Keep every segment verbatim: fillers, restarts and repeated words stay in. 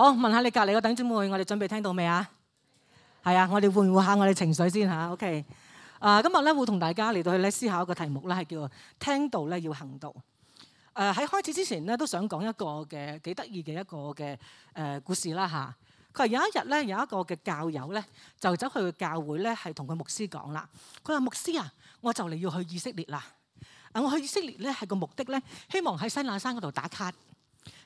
好，問下你隔離個弟兄姊妹，我哋準備聽到未啊？係啊，我哋換換下我哋情緒先嚇。OK，啊，今日咧會同大家嚟到去咧思考一個題目咧，係叫做聽道咧要行道。誒喺開始之前咧，都想講一個嘅幾得意嘅一個嘅誒故事啦嚇。佢話有一日咧，有一個嘅教友咧，就走去教會咧，係同佢牧師講啦。佢話牧師啊，我就嚟要去以色列啦。啊，我去以色列咧係個目的咧，希望喺西乃山嗰度打卡。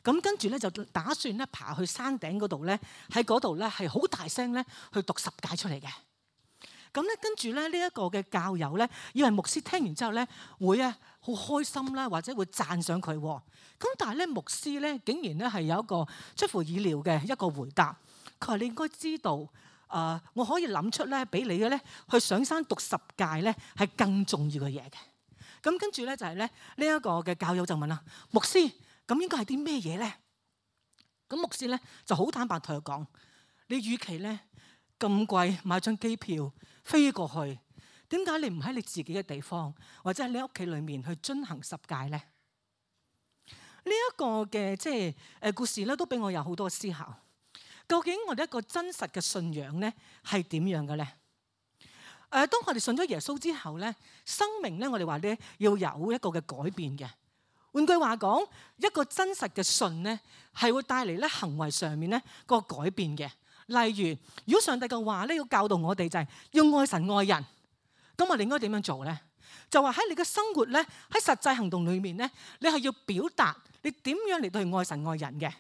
咁跟住咧就打算咧爬去山頂嗰度咧，喺嗰度咧係好大聲咧去讀十誡出嚟嘅。咁咧跟住咧呢一個嘅教友咧，以為牧師聽完之後咧會啊好開心啦，或者會讚賞佢。咁但係咧牧師咧竟然咧係有一個出乎意料嘅一個回答。佢話你應該知道，誒、呃、我可以諗出咧俾你嘅咧去上山讀十誡咧係更重要嘅嘢嘅。咁跟住咧就係咧呢一個嘅教友就問啦，牧師。咁應該係啲咩嘢咧？咁牧師咧就好坦白同佢講：你與其咧咁貴買張機票飛過去，點解你唔喺你自己嘅地方，或者喺你屋企裏面去遵行十誡咧？呢一個嘅即係誒故事咧，都俾我有好多思考。究竟我哋一個真實嘅信仰咧係點樣嘅咧？誒，當我哋信咗耶穌之後咧，生命咧我哋話咧要有一個嘅改變嘅。換句話講，一個真實嘅信咧，係會帶嚟咧行為上面咧個改變嘅。例如，如果上帝嘅話咧要教導我哋就係要愛神愛人，咁我哋應該點樣做咧？就話喺你嘅生活咧，喺實際行動裏面咧，你係要表達你點樣嚟到去愛神愛人嘅。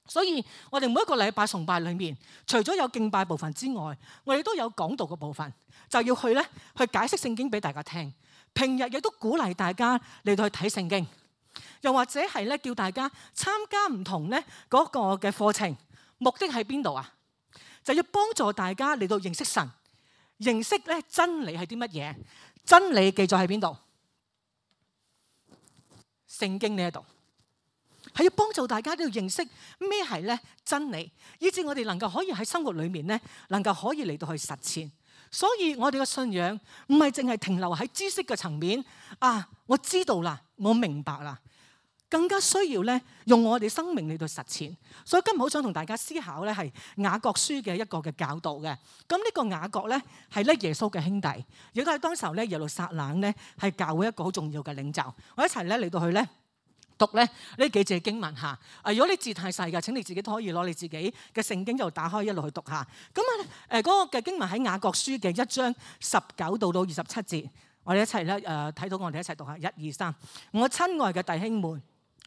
所以我哋每一個禮拜崇拜裏面，除咗有敬拜部分之外，我哋都有講道嘅部分，就要去咧去解釋聖經俾大家聽。平日亦都鼓勵大家嚟到去睇聖經。又或者係咧，叫大家參加唔同咧嗰個嘅課程，目的喺邊度啊？就要幫助大家嚟到認識神，認識咧真理係啲乜嘢？真理記載喺邊度？聖經呢一度係要幫助大家都要認識咩係咧真理，以至我哋能夠可以喺生活裏面咧，能夠可以嚟到去實踐。所以我哋嘅信仰唔係淨係停留喺知識嘅層面啊！我知道啦，我明白啦。更加需要咧用我哋生命嚟到實踐，所以今日好想同大家思考咧係雅各書嘅一個嘅教導嘅。咁呢個雅各咧係咧耶穌嘅兄弟，亦都係當時候咧耶路撒冷咧係教會一個好重要嘅領袖。我一齊咧嚟到去咧讀咧呢幾節經文嚇。啊，如果你字太細嘅，請你自己都可以攞你自己嘅聖經就打開一路去讀下。咁啊誒嗰個嘅經文喺雅各書嘅一章十九到到二十七節，我哋一齊咧誒睇到我哋一齊讀下，一二三。我親愛嘅弟兄們，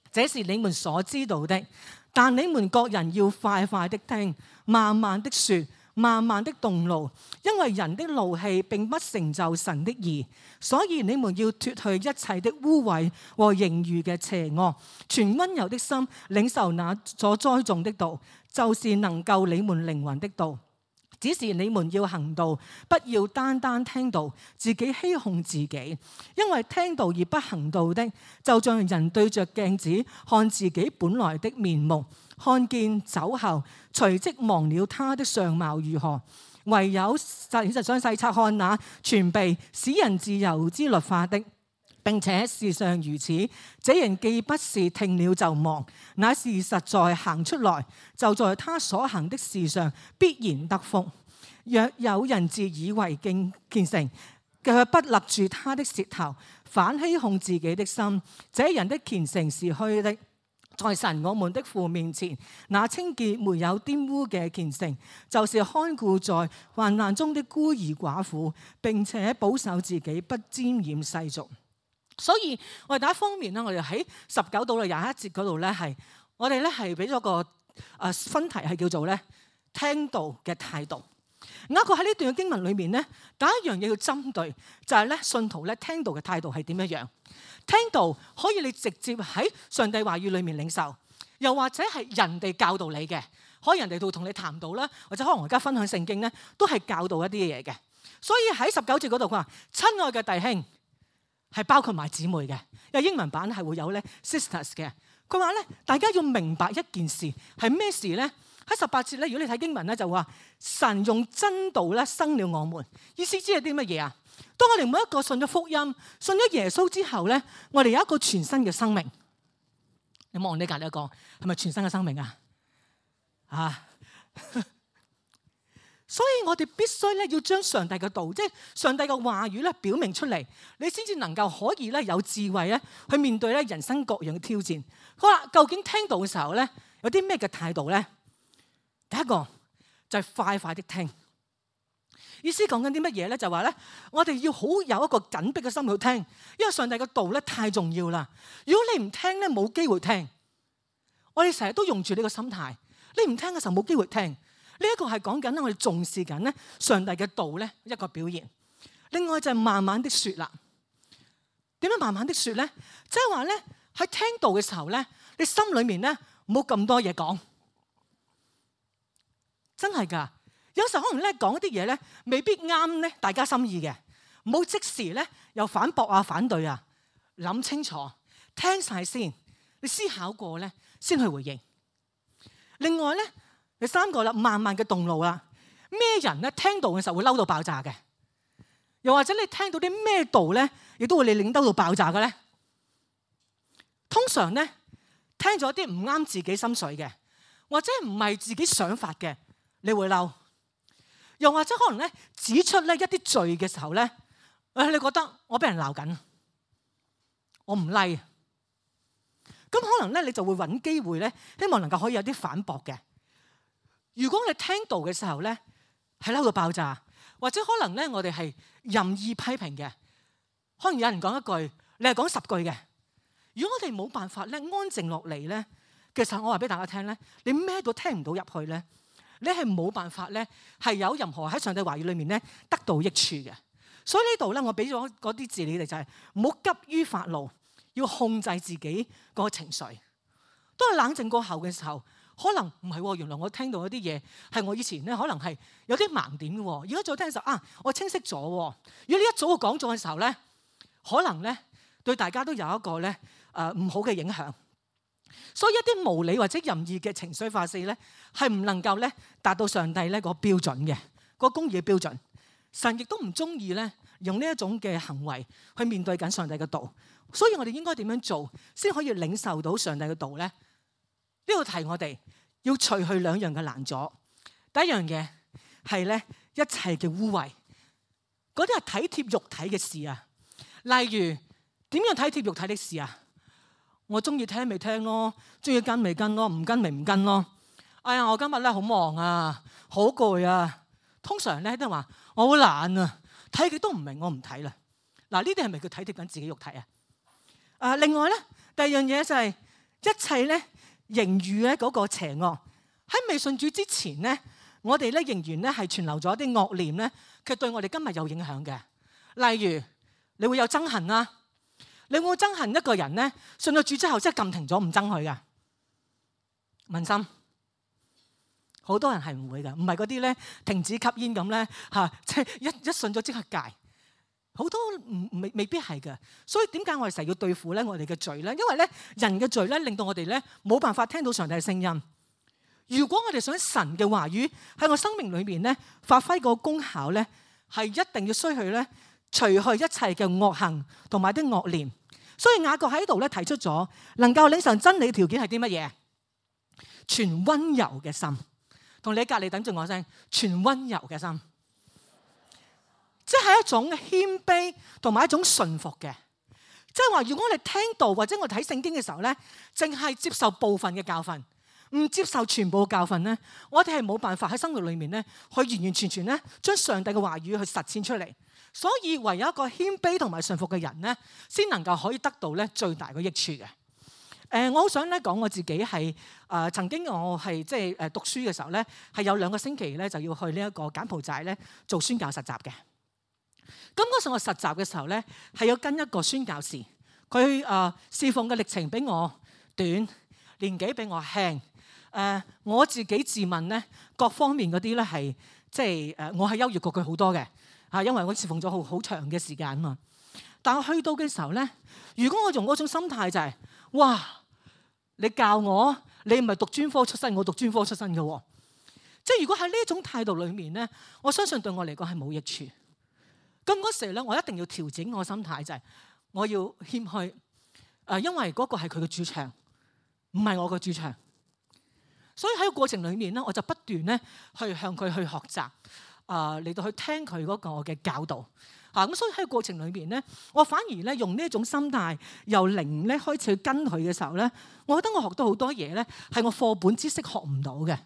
這是你們所知道的，但你們各人要快快的聽，慢慢的說，慢慢的動怒，因為人的怒氣並不成就神的義。所以你們要脫去一切的污穢和盈餘嘅邪惡，存溫柔的心領受那所栽種的道，就是能救你們靈魂的道。只是你們要行道，不要單單聽道，自己欺哄自己。因為聽道而不行道的，就像人對着鏡子看自己本來的面目，看見走後，隨即忘了他的相貌如何。唯有細實想細察看那全備使人自由之律法的。並且事上如此，這人既不是聽了就忘，乃是實在行出來，就在他所行的事上必然得福。若有人自以為敬虔誠，卻不勒住他的舌頭，反欺哄自己的心，這人的虔誠是虛的。在神我們的父面前，那清潔沒有玷污嘅虔誠，就是看顧在患難中的孤兒寡婦，並且保守自己不沾染世俗。所以我哋第一方面咧，我哋喺十九到廿一節嗰度咧，係我哋咧係俾咗個誒分題係叫做咧聽道嘅態度。雅各喺呢段嘅經文裏面咧，第一樣嘢要針對就係咧信徒咧聽道嘅態度係點樣樣？聽道可以你直接喺上帝話語裏面領受，又或者係人哋教導你嘅，可以人哋度同你談道啦，或者可能我而家分享聖經咧，都係教導一啲嘢嘅。所以喺十九節嗰度佢話：親愛嘅弟兄。係包括埋姊妹嘅，因為英文版係會有咧 sisters 嘅。佢話咧，大家要明白一件事係咩事咧？喺十八節咧，如果你睇經文咧，就話神用真道咧生了我們，意思知係啲乜嘢啊？當我哋每一個信咗福音、信咗耶穌之後咧，我哋有一個全新嘅生命。你望你隔籬一個係咪全新嘅生命啊？啊！所以我哋必須咧要將上帝嘅道，即係上帝嘅話語咧表明出嚟，你先至能夠可以咧有智慧咧去面對咧人生各樣嘅挑戰。好啦，究竟聽道嘅時候咧有啲咩嘅態度咧？第一個就係快快的聽。意思講緊啲乜嘢咧？就話咧，我哋要好有一個緊迫嘅心去聽，因為上帝嘅道咧太重要啦。如果你唔聽咧，冇機會聽。我哋成日都用住呢個心態，你唔聽嘅時候冇機會聽。呢一個係講緊咧，我哋重視緊咧上帝嘅道咧一個表現。另外就係慢慢的說啦。點樣慢慢的說咧？即係話咧喺聽道嘅時候咧，你心裏面咧唔好咁多嘢講。真係噶，有時候可能咧講一啲嘢咧未必啱咧大家心意嘅，唔好即時咧又反駁啊反對啊，諗清楚，聽晒先，你思考過咧先去回應。另外咧。第三個啦，慢慢嘅動怒啦。咩人咧聽道嘅時候會嬲到爆炸嘅？又或者你聽到啲咩道咧，亦都會你令嬲到爆炸嘅咧？通常咧聽咗啲唔啱自己心水嘅，或者唔係自己想法嘅，你會嬲。又或者可能咧指出咧一啲罪嘅時候咧，誒你覺得我俾人鬧緊，我唔 like。咁可能咧你就會揾機會咧，希望能夠可以有啲反駁嘅。如果你聽道嘅時候咧，係嬲到爆炸，或者可能咧我哋係任意批評嘅，可能有人講一句，你係講十句嘅。如果我哋冇辦法咧安靜落嚟咧，其實我話俾大家聽咧，你咩都聽唔到入去咧，你係冇辦法咧係有任何喺上帝話語裏面咧得到益處嘅。所以呢度咧，我俾咗嗰啲字你哋就係唔好急於發怒，要控制自己個情緒。當你冷靜過後嘅時候。可能唔係喎，原來我聽到一啲嘢係我以前咧，可能係有啲盲點嘅喎。而家再聽嘅時候啊，我清晰咗喎。如果你一早就講咗嘅時候咧，可能咧對大家都有一個咧誒唔好嘅影響。所以一啲無理或者任意嘅情緒發泄咧，係唔能夠咧達到上帝咧個標準嘅個公義嘅標準。神亦都唔中意咧用呢一種嘅行為去面對緊上帝嘅道。所以我哋應該點樣做先可以領受到上帝嘅道咧？呢度提我哋要除去兩樣嘅攔阻。第一樣嘢係咧一切嘅污穢，嗰啲係體貼肉體嘅事啊。例如點樣體貼肉體的事啊？我中意聽咪聽咯，中意跟咪跟咯，唔跟咪唔跟咯。哎呀，我今日咧好忙啊，好攰啊。通常咧都係話我好懶啊，睇極都唔明，我唔睇啦。嗱，呢啲係咪叫體貼緊自己肉體啊？啊，另外咧第二樣嘢就係一切咧。盈餘咧嗰個邪惡喺未信主之前咧，我哋咧仍然咧係存留咗一啲惡念咧，佢對我哋今日有影響嘅。例如你會有憎恨啦，你會唔會憎恨一個人咧？信咗主之後即係撳停咗唔憎佢噶？問心，好多人係唔會噶，唔係嗰啲咧停止吸煙咁咧嚇，即係一一信咗即刻戒。好多唔未未必係嘅，所以點解我哋成日要對付咧我哋嘅罪咧？因為咧人嘅罪咧令到我哋咧冇辦法聽到上帝嘅聲音。如果我哋想神嘅話語喺我生命裏面咧發揮個功效咧，係一定要需去咧除去一切嘅惡行同埋啲惡念。所以雅各喺度咧提出咗能夠領受真理嘅條件係啲乜嘢？全溫柔嘅心，同你喺隔離等住我聲，全溫柔嘅心。即係一種謙卑同埋一種順服嘅，即係話如果我哋聽道或者我睇聖經嘅時候咧，淨係接受部分嘅教訓，唔接受全部嘅教訓咧，我哋係冇辦法喺生活裏面咧去完完全全咧將上帝嘅話語去實踐出嚟。所以唯有一個謙卑同埋順服嘅人咧，先能夠可以得到咧最大嘅益處嘅。誒、呃，我好想咧講我自己係誒、呃、曾經我係即係誒讀書嘅時候咧，係有兩個星期咧就要去呢一個柬埔寨咧做宣教實習嘅。咁嗰時我實習嘅時候咧，係要跟一個宣教士，佢誒侍奉嘅歷程比我短，年紀比我輕。誒、呃，我自己自問咧，各方面嗰啲咧係即係誒，我係優越過佢好多嘅嚇，因為我侍奉咗好好長嘅時間啊嘛。但我去到嘅時候咧，如果我用嗰種心態就係、是，哇！你教我，你唔係讀專科出身，我讀專科出身嘅喎。即係如果喺呢種態度裏面咧，我相信對我嚟講係冇益處。咁嗰時咧，我一定要調整我心態，就係我要謙虛，誒，因為嗰個係佢嘅主場，唔係我嘅主場。所以喺個過程裏面咧，我就不斷咧去向佢去學習，啊、呃、嚟到去聽佢嗰個嘅教導。嚇、啊、咁，所以喺個過程裏面咧，我反而咧用呢一種心態，由零咧開始去跟佢嘅時候咧，我覺得我學到好多嘢咧，係我課本知識學唔到嘅。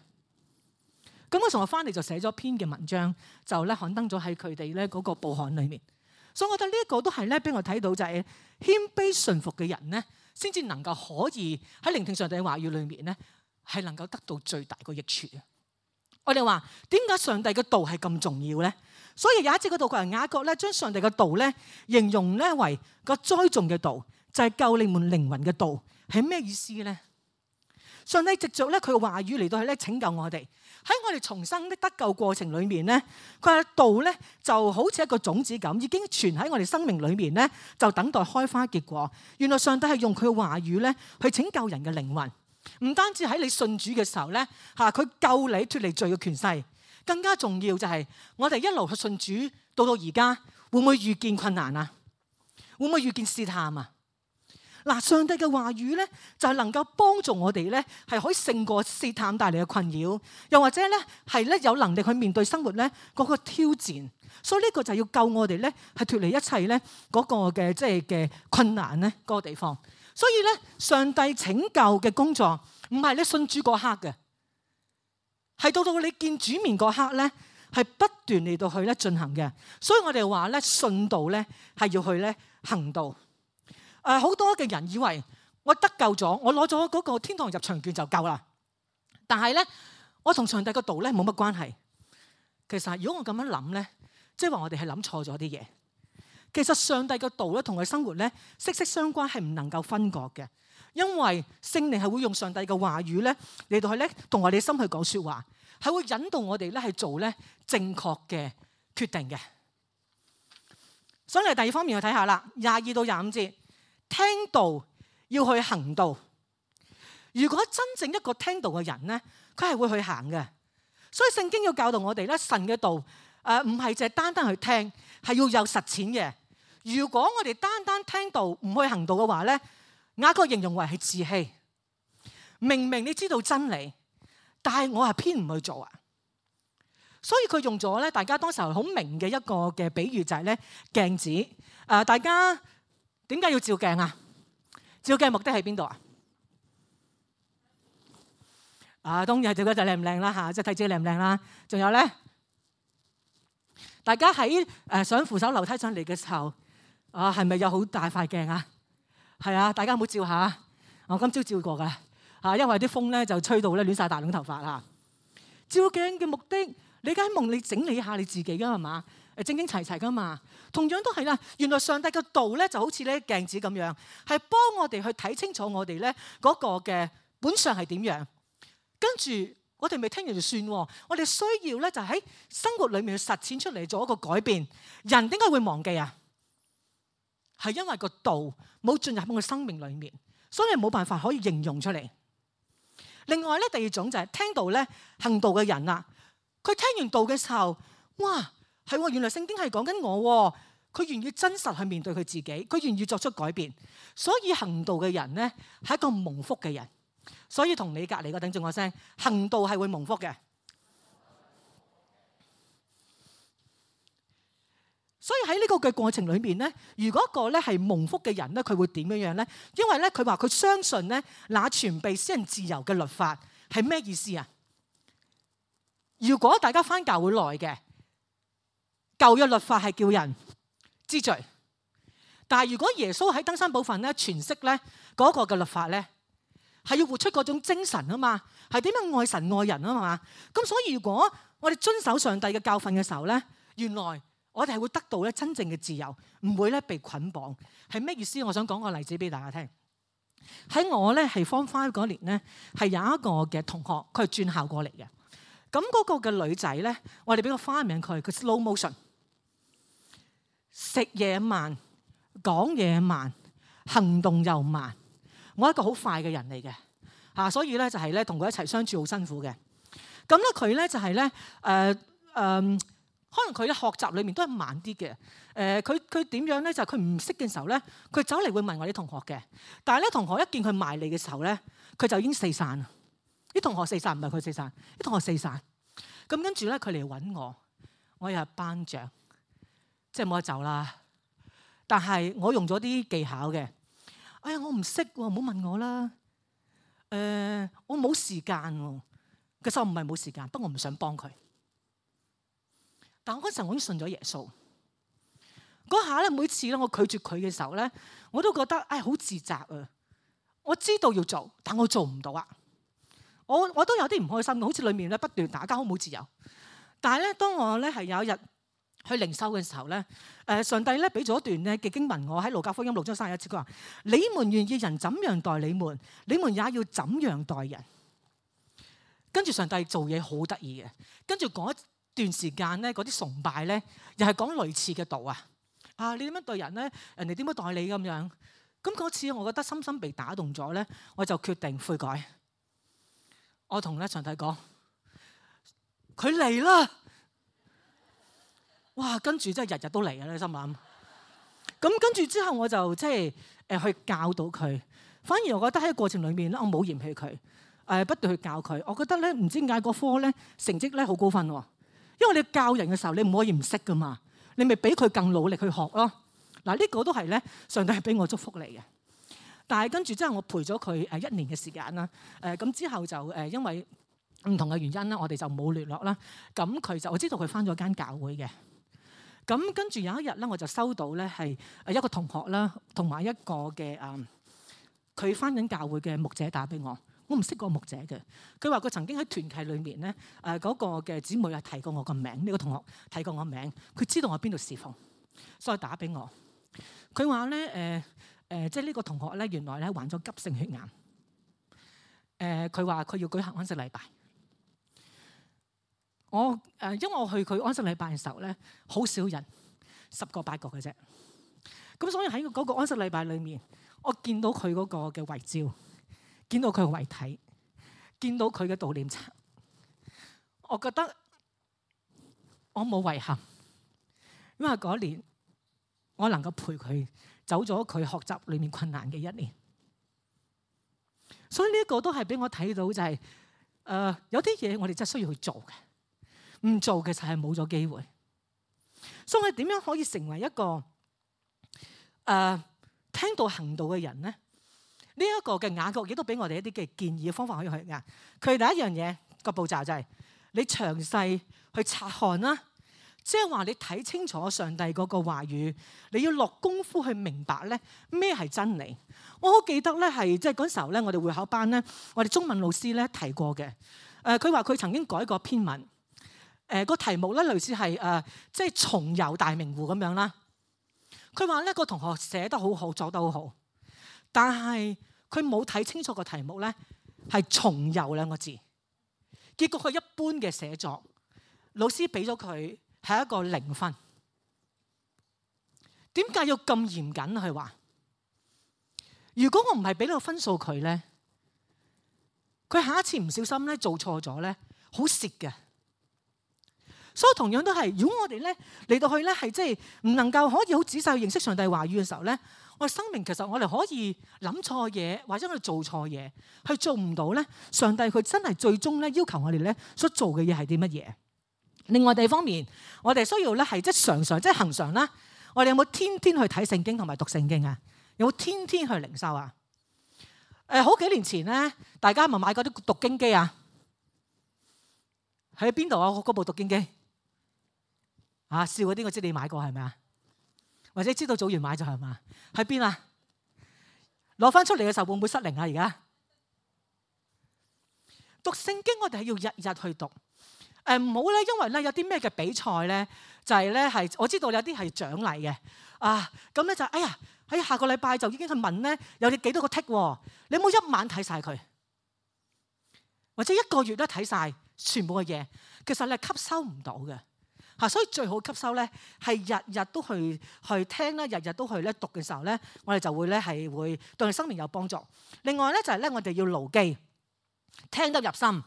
咁我從我翻嚟就寫咗篇嘅文章，就咧刊登咗喺佢哋咧嗰個報刊裏面。所以我覺得呢一個都係咧俾我睇到就係謙卑順服嘅人咧，先至能夠可以喺聆聽上帝嘅話語裏面咧，係能夠得到最大個益處嘅。我哋話點解上帝嘅道係咁重要咧？所以有一節嗰度佢係雅各咧，將上帝嘅道咧形容咧為個栽種嘅道，就係救你們靈魂嘅道，係咩意思咧？上帝藉著咧佢嘅話語嚟到去咧拯救我哋，喺我哋重生的得救過程裏面咧，佢嘅道咧就好似一個種子咁，已經存喺我哋生命裏面咧，就等待開花結果。原來上帝係用佢嘅話語咧去拯救人嘅靈魂，唔單止喺你信主嘅時候咧嚇，佢救你脫離罪嘅權勢，更加重要就係我哋一路去信主到到而家，會唔會遇見困難啊？會唔會遇見試探啊？嗱，上帝嘅話語咧，就係能夠幫助我哋咧，係可以勝過試探帶嚟嘅困擾，又或者咧係咧有能力去面對生活咧嗰個挑戰。所以呢個就係要救我哋咧，係脫離一切咧嗰個嘅即係嘅困難咧嗰個地方。所以咧，上帝拯救嘅工作唔係你信主嗰刻嘅，係到到你見主面嗰刻咧，係不斷嚟到去咧進行嘅。所以我哋話咧，信道咧係要去咧行道。誒，好多嘅人以為我得救咗，我攞咗嗰個天堂入場券就夠啦。但係咧，我同上帝個道咧冇乜關係。其實如果我咁樣諗咧，即係話我哋係諗錯咗啲嘢。其實上帝個道咧同佢生活咧息息相關，係唔能夠分割嘅。因為聖靈係會用上帝嘅話語咧嚟到去咧同我哋心去講説話，係會引導我哋咧係做咧正確嘅決定嘅。所以嚟第二方面去睇下啦，廿二到廿五節。聽道要去行道。如果真正一個聽道嘅人咧，佢係會去行嘅。所以聖經要教導我哋咧，神嘅道誒唔係淨係單單去聽，係要有實踐嘅。如果我哋單單聽道唔去行道嘅話咧，雅各形容為係自欺。明明你知道真理，但係我係偏唔去做啊。所以佢用咗咧，大家當時候好明嘅一個嘅比喻就係咧鏡子。誒、呃，大家。點解要照鏡啊？照鏡目的喺邊度啊？啊，當然係照嗰陣靚唔靚啦嚇，即係睇自己靚唔靚啦。仲有咧，大家喺誒上扶手樓梯上嚟嘅時候，啊係咪有好大塊鏡啊？係啊，大家唔好照下。我今朝照過㗎嚇，因為啲風咧就吹到咧亂晒大lon頭髮啊。照鏡嘅目的，你梗係望你整理下你自己㗎係嘛？誒整整齊齊㗎嘛。同樣都係啦，原來上帝嘅道咧就好似咧鏡子咁樣，係幫我哋去睇清楚我哋咧嗰個嘅本相係點樣。跟住我哋未聽完就算，我哋需要咧就喺生活裏面去實踐出嚟做一個改變。人點解會忘記啊？係因為個道冇進入我嘅生命裏面，所以冇辦法可以形容出嚟。另外咧，第二種就係聽道咧行道嘅人啦，佢聽完道嘅時候，哇！係喎，原來聖經係講緊我，佢願意真實去面對佢自己，佢願意作出改變，所以行道嘅人咧係一個蒙福嘅人。所以同你隔離個頂住我聲，行道係會蒙福嘅。所以喺呢個嘅過程裏面咧，如果一個咧係蒙福嘅人咧，佢會點樣樣咧？因為咧佢話佢相信咧，那全備使人自由嘅律法係咩意思啊？如果大家返教會耐嘅。舊約律法係叫人知罪，但係如果耶穌喺登山寶訓咧詮釋咧嗰個嘅律法咧，係要活出嗰種精神啊嘛，係點樣愛神愛人啊嘛。咁所以如果我哋遵守上帝嘅教訓嘅時候咧，原來我哋係會得到咧真正嘅自由，唔會咧被捆綁。係咩意思？我想講個例子俾大家聽。喺我咧係 Form Five 嗰年咧，係有一個嘅同學，佢係轉校過嚟嘅。咁嗰個嘅女仔咧，我哋俾個花名佢，佢 slow motion。食嘢慢，講嘢慢，行動又慢。我係一個好快嘅人嚟嘅嚇，所以咧就係咧同佢一齊相處好辛苦嘅。咁咧佢咧就係咧誒誒，可能佢咧學習裏面都係慢啲嘅。誒佢佢點樣咧？就係佢唔識嘅時候咧，佢走嚟會問我啲同學嘅。但係咧同學一見佢埋嚟嘅時候咧，佢就已經四散啦。啲同學四散，唔係佢四散，啲同學四散。咁跟住咧，佢嚟揾我，我又係班長，即係冇得走啦。但係我用咗啲技巧嘅。哎呀，我唔識喎，唔好問我啦。誒、呃，我冇時間喎。其實我唔係冇時間，不過我唔想幫佢。但我嗰陣我已經信咗耶穌。嗰下咧，每次咧我拒絕佢嘅時候咧，我都覺得唉好自責啊！我知道要做，但我做唔到啊！我我都有啲唔開心，好似裏面咧不斷打交，好冇自由。但係咧，當我咧係有一日去靈修嘅時候咧，誒上帝咧俾咗一段咧嘅經文，我喺路加福音六章三十一節，佢話：你們願意人怎樣待你們，你們也要怎樣待人。跟住上帝做嘢好得意嘅，跟住嗰一段時間咧，嗰啲崇拜咧，又係講類似嘅道啊！啊，你點樣對人咧？人哋點樣待你咁樣？咁嗰次我覺得深深被打動咗咧，我就決定悔改。我同咧上帝講：佢嚟啦！哇！跟住真係日日都嚟嘅咧，心諗。咁跟住之後我就即係誒去教導佢。反而我覺得喺過程裡面咧，我冇嫌棄佢。誒不斷去教佢，我覺得咧唔知點解嗰科咧成績咧好高分喎，因為你教人嘅時候你唔可以唔識噶嘛，你咪俾佢更努力去學咯。嗱、這、呢個都係咧上帝係俾我祝福你嘅。但係跟住之後我陪咗佢誒一年嘅時間啦，誒咁之後就誒因為唔同嘅原因啦，我哋就冇聯絡啦。咁佢就我知道佢返咗間教會嘅。咁跟住有一日咧，我就收到咧係誒一個同學啦，同埋一個嘅誒佢返緊教會嘅牧者打俾我。我唔識個牧者嘅，佢話佢曾經喺團契裏面咧，誒、那、嗰個嘅姊妹係提過我個名，呢、這個同學提過我名，佢知道我邊度侍奉，所以打俾我。佢話咧誒誒，即係呢個同學咧，原來咧患咗急性血癌。誒，佢話佢要舉行安息禮拜。我誒、呃，因為我去佢安息禮拜嘅時候咧，好少人，十個八個嘅啫。咁所以喺嗰個安息禮拜裏面，我見到佢嗰個嘅遺照。見到佢嘅遺體，見到佢嘅悼念冊，我覺得我冇遺憾，因為嗰年我能夠陪佢走咗佢學習裏面困難嘅一年，所以呢一個都係俾我睇到就係、是、誒、呃、有啲嘢我哋真係需要去做嘅，唔做嘅就係冇咗機會。所以我哋點樣可以成為一個誒、呃、聽道行道嘅人咧？呢、這、一個嘅雅各亦都俾我哋一啲嘅建議嘅方法可以去㗎。佢第一樣嘢個步驟就係你詳細去察看啦，即係話你睇清楚上帝嗰個話語，你要落功夫去明白咧咩係真理。我好記得咧係即係嗰時候咧，我哋會考班咧，我哋中文老師咧提過嘅。誒佢話佢曾經改過篇文，誒、呃、個題目咧類似係誒即係重遊大明湖咁樣啦。佢話咧個同學寫得好好，作得好好。但係佢冇睇清楚個題目咧，係重遊兩個字，結果佢一般嘅寫作，老師俾咗佢係一個零分。點解要咁嚴謹？佢話：如果我唔係俾到分數佢咧，佢下一次唔小心咧做錯咗咧，好蝕嘅。所以同樣都係，如果我哋咧嚟到去咧係即係唔能夠可以好仔細去認識上帝話語嘅時候咧，我哋生命其實我哋可以諗錯嘢，或者我哋做錯嘢，去做唔到咧。上帝佢真係最終咧要求我哋咧所做嘅嘢係啲乜嘢？另外第二方面，我哋需要咧係即係常常即係恆常啦。我哋有冇天天去睇聖經同埋讀聖經啊？有冇天天去靈修啊？誒，好幾年前咧，大家咪買嗰啲讀經機啊？喺邊度啊？嗰部讀經機？啊！笑嗰啲我知你買過係咪啊？或者知道組員買咗係嘛？喺邊啊？攞翻出嚟嘅時候會唔會失靈啊？而家讀聖經我哋係要日日去讀。誒唔好咧，因為咧有啲咩嘅比賽咧，就係咧係我知道有啲係獎勵嘅啊。咁咧就哎呀喺下個禮拜就已經去問咧，有你幾多個剔喎？你有冇一晚睇晒佢？或者一個月都睇晒全部嘅嘢？其實你係吸收唔到嘅。嚇，所以最好吸收咧，係日日都去去聽啦，日日都去咧讀嘅時候咧，我哋就會咧係會對你生命有幫助。另外咧就係咧，我哋要牢記，聽得入心，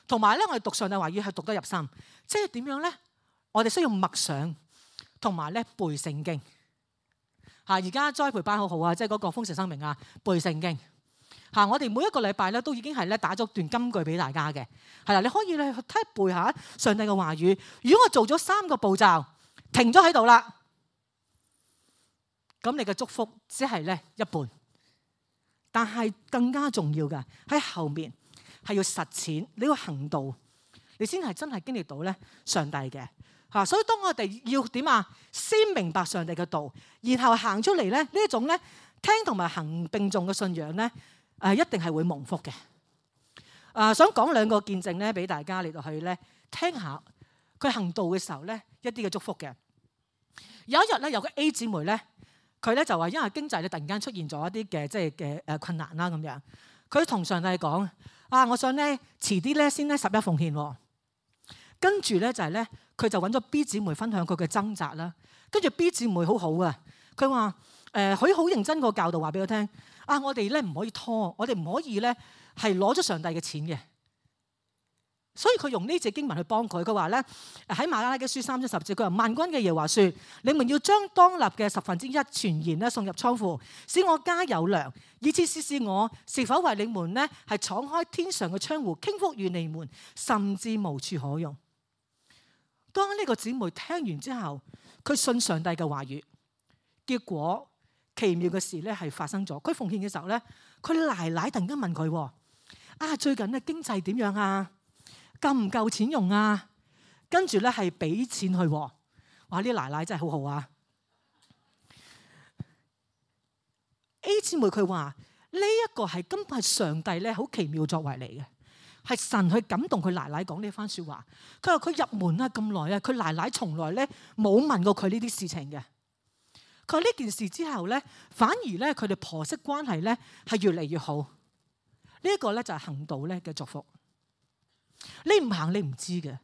同埋咧我哋讀上帝話語係讀得入心。即係點樣咧？我哋需要默想，同埋咧背聖經。嚇，而家栽培班好好啊，即係嗰個豐盛生命啊，背聖經。嚇，我哋每一個禮拜咧都已經係咧打咗段金句俾大家嘅，係啦，你可以咧去睇背下上帝嘅話語。如果我做咗三個步驟，停咗喺度啦，咁你嘅祝福只係咧一半。但係更加重要嘅喺後面係要實踐，你要行道，你先係真係經歷到咧上帝嘅嚇。所以當我哋要點啊，先明白上帝嘅道，然後行出嚟咧，呢一種咧聽同埋行並重嘅信仰咧，誒一定係會蒙福嘅。誒想講兩個見證咧，俾大家嚟到去咧聽下佢行道嘅時候咧一啲嘅祝福嘅。有一日咧，有個 A 姊妹咧。佢咧就話，因為經濟咧突然間出現咗一啲嘅即係嘅誒困難啦咁樣，佢同上帝講：啊，我想咧遲啲咧先咧十一奉獻喎。跟住咧就係咧，佢就揾咗 B 姊妹分享佢嘅掙扎啦。跟住 B 姊妹好好啊，佢話誒佢好認真個教導話俾我聽：啊，我哋咧唔可以拖，我哋唔可以咧係攞咗上帝嘅錢嘅。所以佢用呢隻經文去幫佢，佢話咧喺馬拉基書三章十節，佢話萬軍嘅耶和華說：你們要將當立嘅十分之一全然咧送入倉庫，使我家有糧，以致試試我是否為你們咧係敞開天上嘅窗戶，傾福與你們，甚至無處可用。當呢個姊妹聽完之後，佢信上帝嘅話語，結果奇妙嘅事咧係發生咗。佢奉獻嘅時候咧，佢奶奶突然間問佢：啊，最近咧經濟點樣啊？夠唔夠錢用啊？跟住咧係俾錢去，哇！呢啲奶奶真係好好啊。A 姊妹佢話呢一個係根本係上帝咧好奇妙作為嚟嘅，係神去感動佢奶奶講呢番說話。佢話佢入門啊咁耐啊，佢奶奶從來咧冇問過佢呢啲事情嘅。佢話呢件事之後咧，反而咧佢哋婆媳關係咧係越嚟越好。呢一個咧就係行道咧嘅祝福。你唔行你唔知嘅，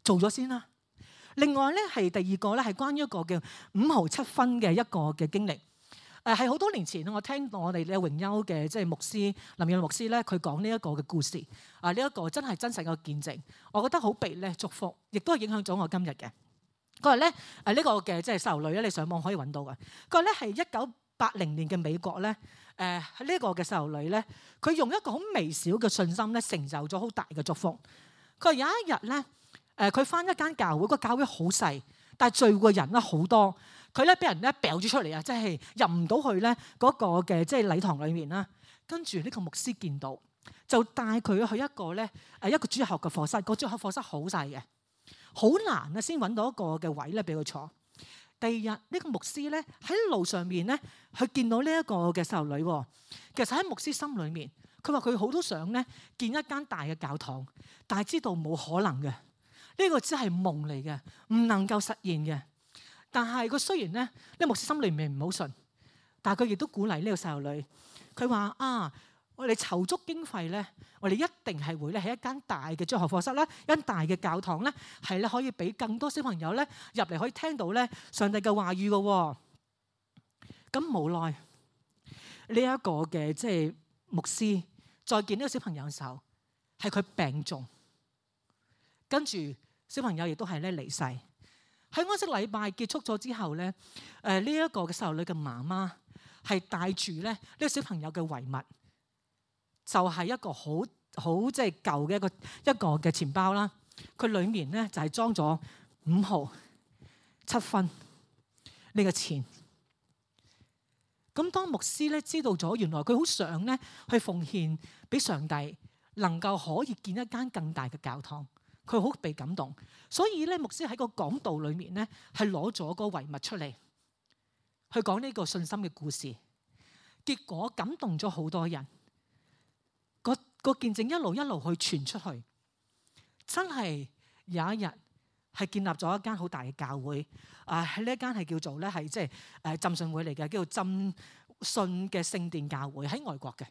做咗先啦。另外咧係第二個咧係關於一個叫五毫七分嘅一個嘅經歷。誒係好多年前我聽到我哋咧榮休嘅即係牧師林耀牧師咧，佢講呢一個嘅故事。啊呢一個真係真實嘅見證，我覺得好被咧祝福，亦都係影響咗我今日嘅。佢話咧誒呢個嘅即係細路女咧，你上網可以揾到嘅。佢話咧係一九八零年嘅美國咧。誒喺呢一個嘅細路女咧，佢用一個好微小嘅信心咧，成就咗好大嘅祝福。佢話有一日咧，誒佢返一間教會，個教會好細，但係聚會人咧好多。佢咧俾人咧掉咗出嚟啊，即係入唔到去咧嗰個嘅即係禮堂裏面啦。跟住呢個牧師見到，就帶佢去一個咧誒一個主學嘅課室。個主學課室好細嘅，好難啊先揾到一個嘅位咧俾佢坐。第二日呢個牧師咧喺路上面咧，佢見到呢一個嘅細路女。其實喺牧師心裏面，佢話佢好多想咧建一間大嘅教堂，但係知道冇可能嘅。呢個只係夢嚟嘅，唔能夠實現嘅。但係佢雖然咧，呢牧師心裏面唔好信，但係佢亦都鼓勵呢個細路女。佢話啊，我哋籌足經費咧，我哋一定係會咧喺一間大嘅中學課室啦，一間大嘅教堂咧，係咧可以俾更多小朋友咧入嚟可以聽到咧上帝嘅話語嘅。咁無奈呢一個嘅即係牧師再見呢個小朋友嘅時候，係佢病重，跟住小朋友亦都係咧離世。喺安息禮拜結束咗之後咧，誒呢一個嘅細路女嘅媽媽係帶住咧呢個小朋友嘅遺物。就係一個好好即係舊嘅一個一個嘅錢包啦，佢裡面咧就係裝咗五毫七分呢個錢。咁當牧師咧知道咗，原來佢好想咧去奉獻俾上帝，能夠可以建一間更大嘅教堂，佢好被感動。所以咧牧師喺個講道裡面咧係攞咗個遺物出嚟，去講呢個信心嘅故事，結果感動咗好多人。個見證一路一路去傳出去，真係有一日係建立咗一間好大嘅教會。啊，喺呢一間係叫做咧係即係誒浸信會嚟嘅，叫做浸信嘅聖殿教會，喺外國嘅。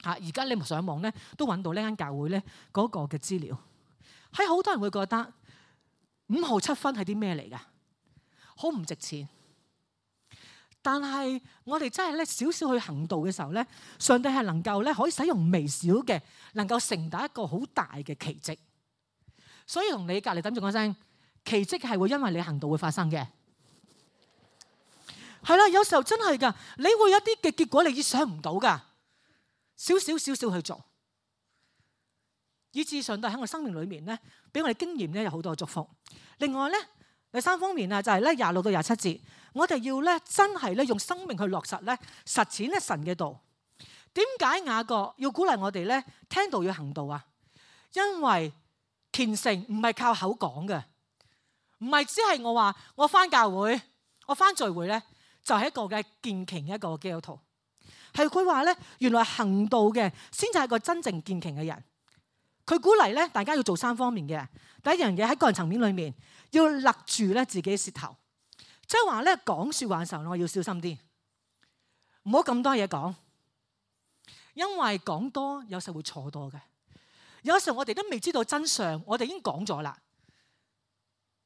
嚇，而家你上網咧都揾到呢間教會咧嗰個嘅資料。喺好多人會覺得五毫七分係啲咩嚟㗎？好唔值錢。但係我哋真係咧少少去行道嘅時候咧，上帝係能夠咧可以使用微小嘅，能夠成大一個好大嘅奇蹟。所以同你隔離等住講聲，奇蹟係會因為你行道會發生嘅。係啦，有時候真係㗎，你會有啲嘅結果你意想唔到㗎。少少少少去做，以致上帝喺我生命裏面咧，俾我哋經驗咧有好多嘅祝福。另外咧，第三方面啊，就係咧廿六到廿七節，我哋要咧真係咧用生命去落實咧實踐咧神嘅道。點解雅各要鼓勵我哋咧聽道要行道啊？因為虔誠唔係靠口講嘅，唔係只係我話我返教會，我返聚會咧就係一個嘅虔虔嘅一個基督徒。係佢話咧，原來行道嘅先至係個真正虔誠嘅人。佢鼓勵咧大家要做三方面嘅。第一樣嘢喺個人層面裏面要勒住咧自己舌頭，即係話咧講説話嘅時候，我要小心啲，唔好咁多嘢講。因為講多有時會錯多嘅，有時候我哋都未知道真相，我哋已經講咗啦。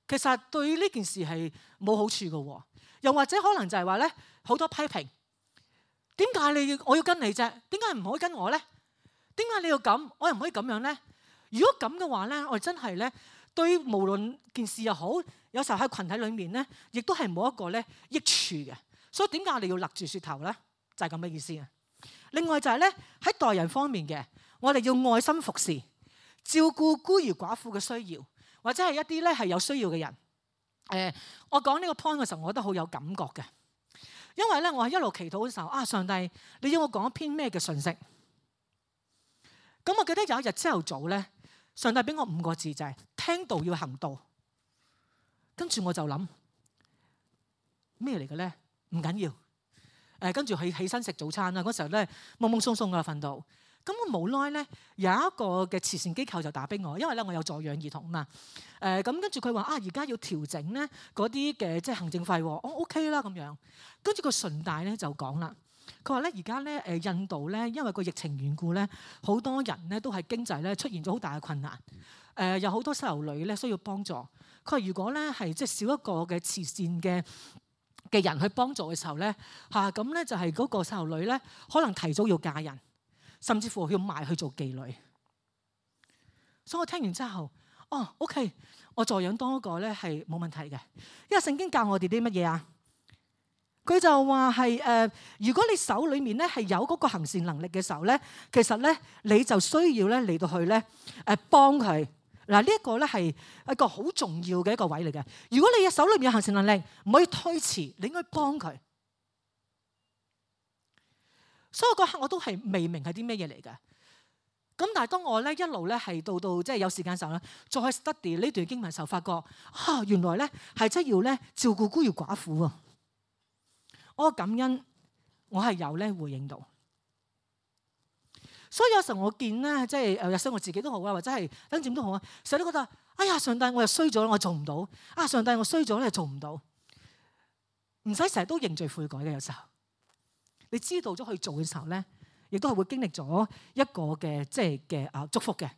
其實對呢件事係冇好處嘅，又或者可能就係話咧好多批評。點解你要我要跟你啫？點解唔可以跟我咧？點解你要咁？我又唔可以咁樣咧？如果咁嘅話咧，我哋真係咧對無論件事又好，有時候喺群體裏面咧，亦都係冇一個咧益處嘅。所以點解我哋要勒住舌頭咧？就係咁嘅意思啊！另外就係咧喺待人方面嘅，我哋要愛心服侍，照顧孤兒寡婦嘅需要，或者係一啲咧係有需要嘅人。誒、呃，我講呢個 point 嘅時候，我覺得好有感覺嘅，因為咧我係一路祈禱嘅時候，啊上帝，你要我講一篇咩嘅信息？咁我記得有一日朝頭早咧，上帝俾我五個字就係、是、聽道要行道。跟住我就諗咩嚟嘅咧？唔緊要。誒跟住佢起身食早餐啦，嗰時候咧懵懵鬆鬆㗎瞓到，咁我無奈咧有一個嘅慈善機構就打俾我，因為咧我有助養兒童嘛。誒咁跟住佢話啊，而家要調整咧嗰啲嘅即係行政費喎，我 OK 啦咁樣。跟住個順帶咧就講啦，佢話咧而家咧誒印度咧因為個疫情緣故咧，好多人咧都係經濟咧出現咗好大嘅困難。誒有好多細路女咧需要幫助。佢話如果咧係即係少一個嘅慈善嘅嘅人去幫助嘅時候咧，嚇咁咧就係嗰個細路女咧，可能提早要嫁人，甚至乎要賣去做妓女。所以我聽完之後，哦 OK， 我助養多一個咧係冇問題嘅，因為聖經教我哋啲乜嘢啊？佢就話係誒，如果你手裡面咧係有嗰個行善能力嘅時候咧，其實咧你就需要咧嚟到去咧誒幫佢。嗱，呢一個咧係一個好重要嘅一個位嚟嘅。如果你嘅手裏面有行善能力，唔可以推遲，你應該幫佢。所以嗰刻我都係未明係啲咩嘢嚟嘅。咁但係當我咧一路咧係到到即係有時間嘅時候咧，再 study 呢段經文嘅時候，發覺啊，原來咧係真要咧照顧孤兒寡婦啊！我感恩，我係有咧回應到。所以有時候我見咧，即係誒，有時我自己都好啊，或者係等點都好啊，成日都覺得，哎呀，上帝我又衰咗，我做唔到。啊，上帝我衰咗咧，做唔到。唔使成日都認罪悔改嘅，有時候你知道咗去做嘅時候咧，亦都係會經歷咗一個嘅即係嘅啊祝福嘅。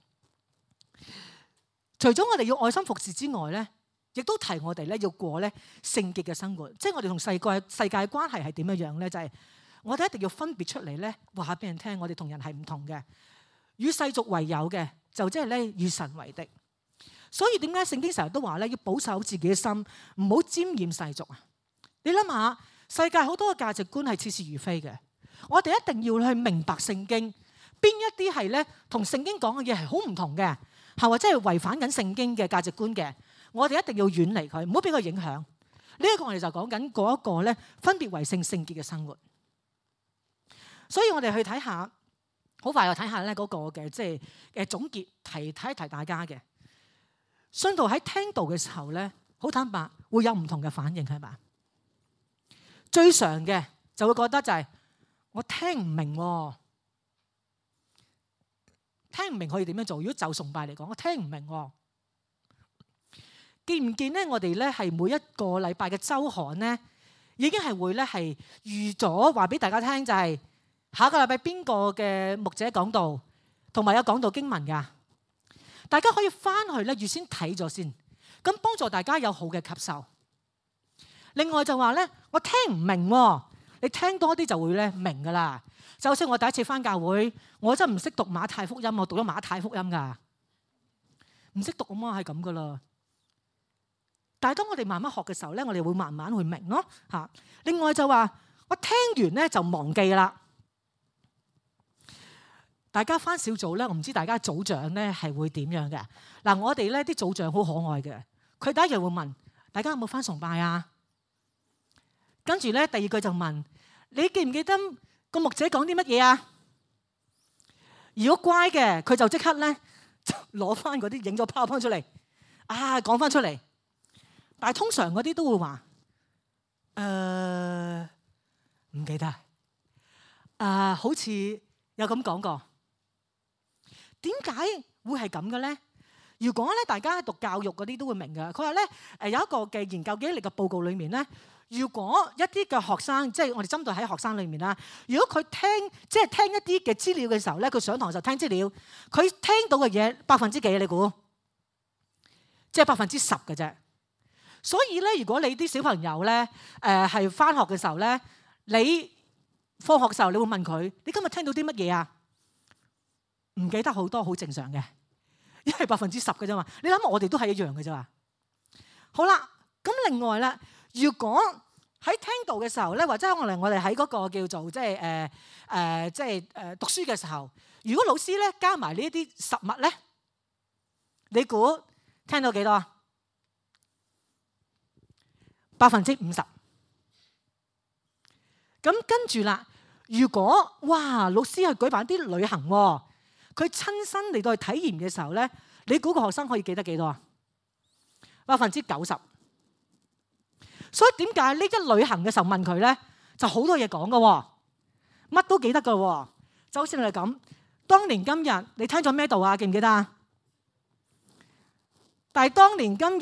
除咗我哋要愛心服侍之外咧，亦都提我哋咧要過咧聖潔嘅生活。即係我哋同世界世界關係係點樣樣咧？就係、是。我哋一定要分別出嚟咧，話下俾人聽，我哋同人係唔同嘅。與世俗為友嘅，就即係咧與神為敵。所以點解聖經成日都話咧，要保守自己嘅心，唔好沾染世俗啊？你諗下，世界好多嘅價值觀係似是而非嘅。我哋一定要去明白聖經，邊一啲係咧同聖經講嘅嘢係好唔同嘅，係或者係違反緊聖經嘅價值觀嘅，我哋一定要遠離佢，唔好俾佢影響。呢、這、一個我哋就講緊嗰一個咧分別為聖聖潔嘅生活。所以我哋去睇下，好快又睇下咧嗰個嘅即係誒總結，提提一提大家嘅信徒喺聽道嘅時候咧，好坦白會有唔同嘅反應係嘛？最常嘅就會覺得就係、是、我聽唔明、哦，聽唔明可以點樣做？如果就崇拜嚟講，我聽唔明、哦，見唔見咧？我哋咧係每一個禮拜嘅週刊咧，已經係會咧係預咗話俾大家聽，就係、是。下個禮拜邊個嘅牧者講道，同埋有講道經文㗎？大家可以翻去咧預先睇咗先，咁幫助大家有好嘅吸收。另外就話咧，我聽唔明喎，你聽多啲就會咧明㗎啦。就好似我第一次翻教會，我真係唔識讀馬太福音，我讀咗馬太福音㗎，唔識讀啊嘛，係咁㗎啦。但係當我哋慢慢學嘅時候咧，我哋會慢慢去明咯嚇。另外就話我聽完咧就忘記啦。大家返小組咧，我唔知大家組長咧係會點樣嘅。嗱，我哋咧啲組長好可愛嘅，佢第一日會問大家有冇返崇拜啊？跟住咧第二句就問你記唔記得個牧者講啲乜嘢啊？如果乖嘅，佢就即刻咧攞翻嗰啲影咗 PowerPoint出嚟，啊講翻出嚟。但係通常嗰啲都會話誒唔記得啊、呃，好似有咁講過。點解會係咁嘅咧？如果咧大家喺讀教育嗰啲都會明嘅。佢話咧誒有一個嘅研究記憶力嘅報告裏面咧。如果一啲嘅學生，即係我哋針對喺學生裏面啦。如果佢聽，即係聽一啲嘅資料嘅時候咧，佢上堂就聽資料，佢聽到嘅嘢百分之幾？你估？即係百分之十嘅啫。所以咧，如果你啲小朋友咧，誒係返學嘅時候咧，你放學嘅時候，你會問佢：你今日聽到啲乜嘢啊？唔記得好多，好正常嘅，因為百分之十嘅啫嘛。你諗下，我哋都係一樣嘅啫嘛。好啦，咁另外咧。如果喺聽道嘅時候咧，或者可能我哋喺嗰個叫做即係誒誒，即係誒讀書嘅時候，如果老師咧加埋呢一啲實物咧，你估聽到幾多啊？百分之五十。咁跟住啦，如果哇老師係舉辦啲旅行，佢親身嚟到去體驗嘅時候咧，你估個學生可以記得幾多啊？百分之九十。所以點解呢一旅行嘅時候問佢咧，就好多嘢講㗎，乜都記得㗎。就好似你哋咁，當年今日你聽咗咩道啊？記唔記得啊？但係當年今日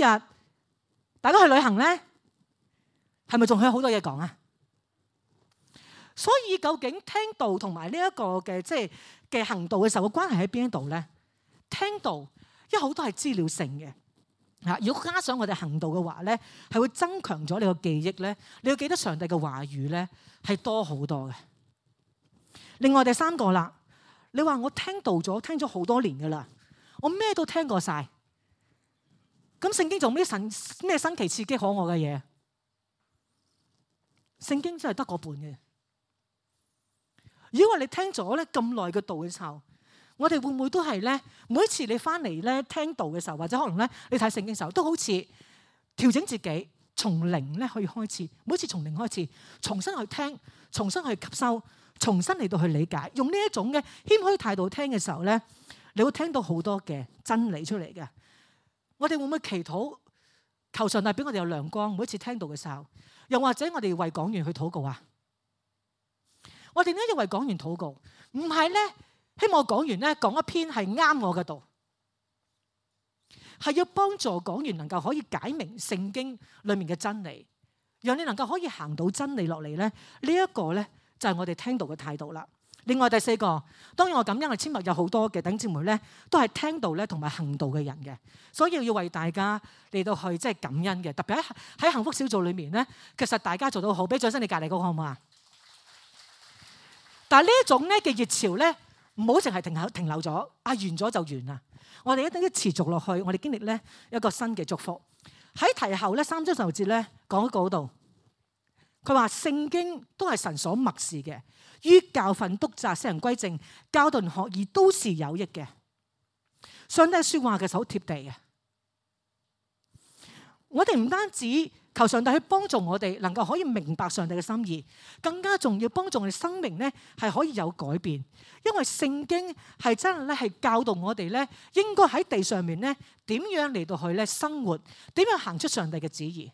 大家去旅行咧，係咪仲有好多嘢講啊？所以究竟聽道同埋呢一個嘅即係嘅行道嘅時候嘅關係喺邊一度咧？聽道因為好多係資料性嘅。如果加上我哋行道嘅話咧，係會增強咗你個記憶咧。你要記得上帝嘅話語咧，係多好多嘅。另外第三個啦，你話我聽道咗，聽咗好多年噶啦，我咩都聽過晒。咁聖經做咩神咩新奇刺激可愛嘅嘢？聖經真係得個半嘅。如果話你聽咗咧咁耐嘅道嘅時候，我哋會唔會都係咧？每一次你翻嚟咧聽道嘅時候，或者可能咧你睇聖經嘅時候，都好似調整自己，從零咧去開始。每一次從零開始，重新去聽，重新去吸收，重新嚟到去理解。用呢一種嘅謙虛態度聽嘅時候咧，你會聽到好多嘅真理出嚟嘅。我哋會唔會祈禱求上帝俾我哋有亮光？每一次聽道嘅時候，又或者我哋為講員去禱告啊？我哋點解要為講員禱告？唔係咧。希望講完咧講一篇係啱我嘅道，係要幫助講員能夠可以解明聖經裡面嘅真理，讓你能夠可以行到真理落嚟咧。呢、這、一個咧就係我哋聽道嘅態度啦。另外第四個，當然我感恩我簽物有好多嘅弟兄姊妹咧，都係聽道咧同埋行道嘅人嘅，所以要為大家嚟到去即係感恩嘅。特別喺喺幸福小組裡面咧，其實大家做到好，俾掌聲你隔離嗰個好唔好啊？但係呢一種咧嘅熱潮咧。唔好淨係停留停留咗，啊完咗就完啦！我哋一定要持續落去，我哋經歷咧一個新嘅祝福。喺提後咧三章十六節咧講嗰度，佢話聖經都係神所默示嘅，於教訓、督責、使人歸正、教導人學義都是有益嘅。上帝説話其實好貼地嘅。我哋唔單止求上帝去幫助我哋，能夠可以明白上帝嘅心意，更加重要幫助我哋生命咧係可以有改變。因為聖經係真係咧係教導我哋咧，應該喺地上面咧點樣嚟到去咧生活，點樣行出上帝嘅旨意。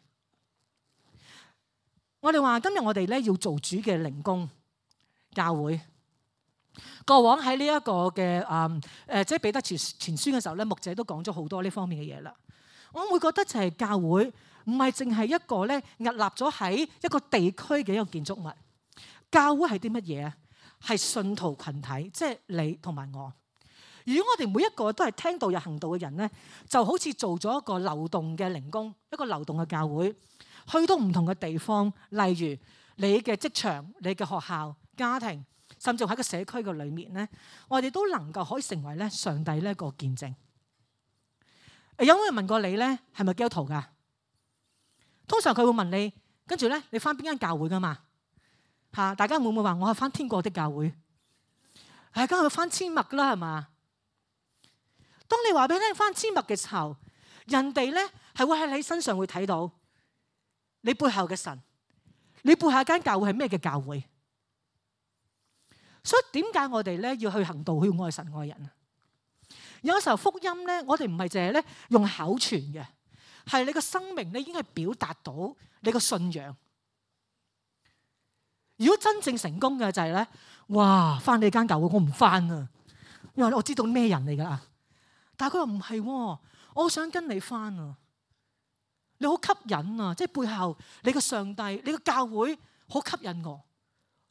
我哋話今日我哋咧要做主嘅靈工教會。過往喺呢一個嘅誒誒，即係彼得前前書嘅時候咧，牧者都講咗好多呢方面嘅嘢啦。我會覺得就係教會唔係淨係一個咧屹立咗喺一個地區嘅一個建築物。教會係啲乜嘢啊？係信徒群體，即係你同埋我。如果我哋每一個都係聽道又行道嘅人咧，就好似做咗一個流動嘅靈工，一個流動嘅教會，去到唔同嘅地方，例如你嘅職場、你嘅學校、家庭，甚至喺個社區嘅裏面咧，我哋都能夠可以成為咧上帝呢一個見證。有冇人問過你咧，係咪基督徒噶？通常佢會問你，跟住咧，你返邊間教會噶嘛？嚇！大家會唔會話我係返天國的教會？係梗係翻千麥噶啦，係嘛？當你話俾你聽翻千麥嘅時候，人哋咧係會喺你身上會睇到你背後嘅神，你背後間教會係咩嘅教會？所以點解我哋咧要去行道，去愛神愛人啊？有時候福音咧，我哋唔係淨係咧用口傳嘅，係你個生命咧已經係表達到你個信仰。如果真正成功嘅就係咧，哇！翻你間教會我唔翻啊，因為我知道咩人嚟噶。但係佢話唔係，我好想跟你翻啊！你好吸引啊，即係背後你個上帝、你個教會好吸引我，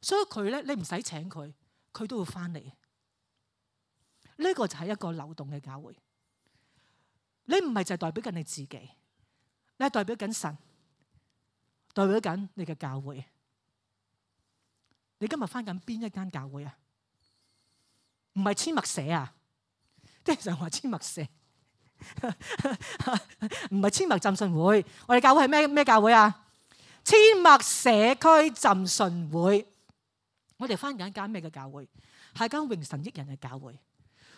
所以佢咧你唔使請佢，佢都會翻嚟。呢個就係一個流動嘅教會。你唔係就係代表緊你自己，你係代表緊神，代表緊你嘅教會。你今日翻緊邊一間教會啊？唔係千麥社啊？即係成日話千麥社，唔係千麥浸信會。我哋教會係咩咩教會啊？千麥社區浸信會。我哋翻緊一間咩嘅教會？係間榮神益人嘅教會。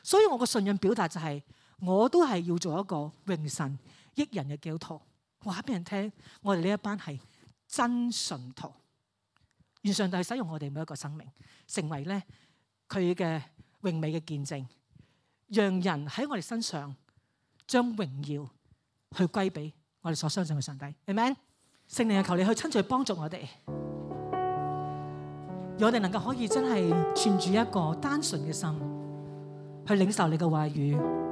所以我個信仰表達就係、是，我都係要做一個榮神益人嘅基督徒，話俾人聽，我哋呢一班係真信徒。願上帝使用我哋每一個生命，成為咧佢嘅榮美嘅見證，讓人喺我哋身上將榮耀去歸俾我哋所相信嘅上帝。Amen。聖靈啊，求你去親自幫助我哋，讓我哋能夠可以真係存住一個單純嘅心，去領受你嘅話語。